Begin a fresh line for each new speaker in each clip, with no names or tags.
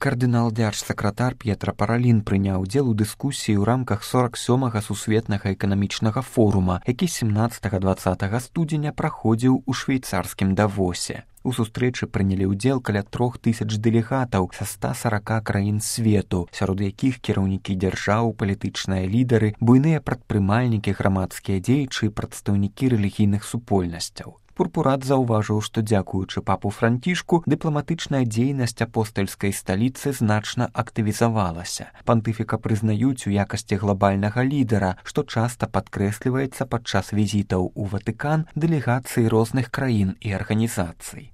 Кардынал дзяржсакратар П'етра Паралін прыняў удзел у дыскусіі ў рамках 47-га сусветнага эканамічнага форума, які 17-20 студзеня праходзіў у швейцарскім Давосе. У сустрэчы прынялі ўдзел каля 3000 дэлегатаў са 140 краін свету, сярод якіх кіраўнікі дзяржаў, палітычныя лідары, буйныя прадпрымальнікі, грамадскія дзеячы і прадстаўнікі рэлігійных супольнасцяў. Пурпурат заўважыў, што дзякуючы папу Францішку дыпламатычная дзейнасць апостальскай сталіцы значна актывізавалася. Пантыфіка прызнаюць у якасці глабальнага лідара, што часта падкрэсліваецца падчас візітаў у Ватыкан дэлегацый розных краін і арганізацый.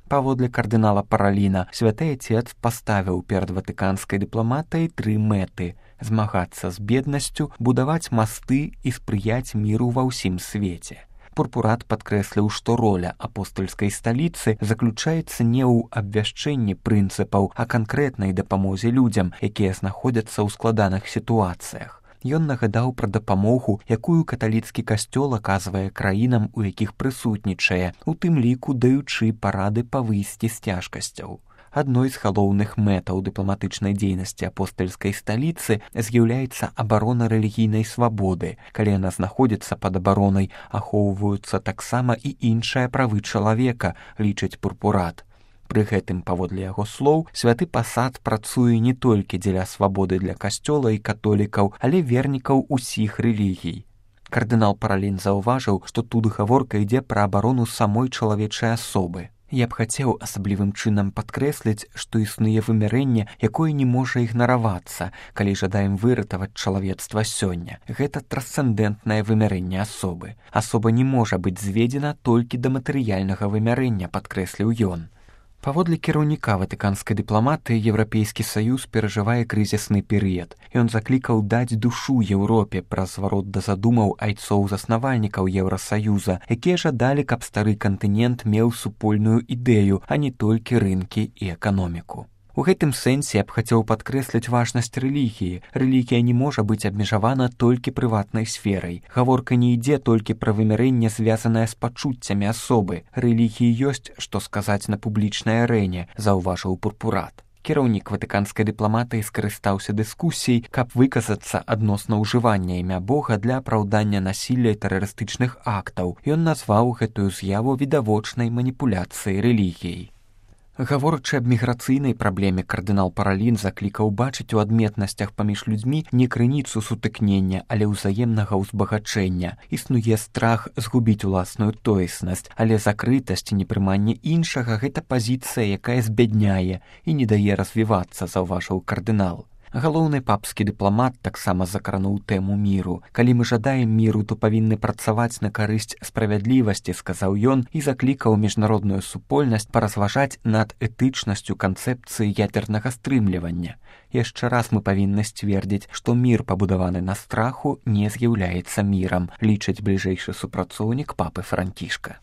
Паводле кардынала Параліна, святы Отец паставіў перад ватыканскай дыпламатыяй 3 мэты: змагацца з беднасцю, будаваць масты і спрыяць міру ва ўсім свеце. Пурпурат падкрэсліў, што роля апостальскай сталіцы заключаецца не ў абвяшчэнні прынцыпаў, а канкрэтнай дапамозе людзям, якія знаходзяцца ў складаных сітуацыях. Ён нагадаў пра дапамогу, якую каталіцкі касцёл аказвае краінам, у якіх прысутнічае, у тым ліку даючы парады па выйсці з цяжкасцяў. Адной з галоўных мэтаў дыпламатычнай дзейнасці апостальскай сталіцы з'яўляецца абарона рэлігійнай свабоды. Калі яна знаходзіцца пад абаронай, ахоўваюцца таксама і іншыя правы чалавека, лічыць Пурпурат. Пры гэтым, паводле яго слоў, святы пасад працуе не толькі дзеля свабоды для касцёла і католікаў, але вернікаў усіх рэлігій. Кардынал Паралін заўважыў, што тут гаворка ідзе пра абарону самой чалавечай асобы. Я б хацеў асаблівым чынам падкрэсліць, што існуе вымярэнне, якое не можа ігнаравацца, калі жадаем выратаваць чалавецтва сёння. Гэта трансцэндэнтнае вымярэнне асобы. Асоба не можа быць зведзена толькі да матэрыяльнага вымярэння, падкрэсліў ён. Паводле кіраўніка ватыканскай дыпламатыі, Еўрапейскі саюз перажывае крызісны перыяд. Ён заклікаў даць душу Еўропе праз зварот да задумаў айцоў-заснавальнікаў Еўрасаюза, якія жадалі, каб стары кантынент меў супольную ідэю, а не толькі рынкі і эканоміку. У гэтым сэнсе я б хацеў падкрэсліць важнасць рэлігіі. Рэлігія не можа быць абмежавана толькі прыватнай сферай. Гаворка не ідзе толькі пра вымярэнне, звязанае з пачуццямі асобы. Рэлігіі ёсць, што сказаць на публічнай арэне, заўважыў Пурпурат. Кіраўнік ватыканскай дыпламатыі скарыстаўся дыскусіяй, каб выказацца адносна ўжывання імя Бога для апраўдання насілля і тэрарыстычных актаў. Ён назваў гэтую з'яву відавочнай маніпуляцыяй рэлігіяй. Гаворачы аб міграцыйнай праблеме, кардынал Паралін заклікаў бачыць у адметнасцях паміж людзьмі не крыніцу сутыкнення, але ўзаемнага ўзбагачэння. Існуе страх згубіць уласную тоеснасць, але закрытасць і непрыманне іншага – гэта пазіцыя, якая збядняе і не дае развівацца, заўважыў кардынал. Галоўны папскі дыпламат таксама закрануў тэму міру. Калі мы жадаем міру, то павінны працаваць на карысць справядлівасці, сказаў ён, і заклікаў міжнародную супольнасць паразважаць над этычнасцю канцэпцыі ядзернага стрымлівання. Яшчэ раз мы павінны сцвердзіць, што мір, пабудаваны на страху, не з'яўляецца мірам, лічыць бліжэйшы супрацоўнік папы Францішка.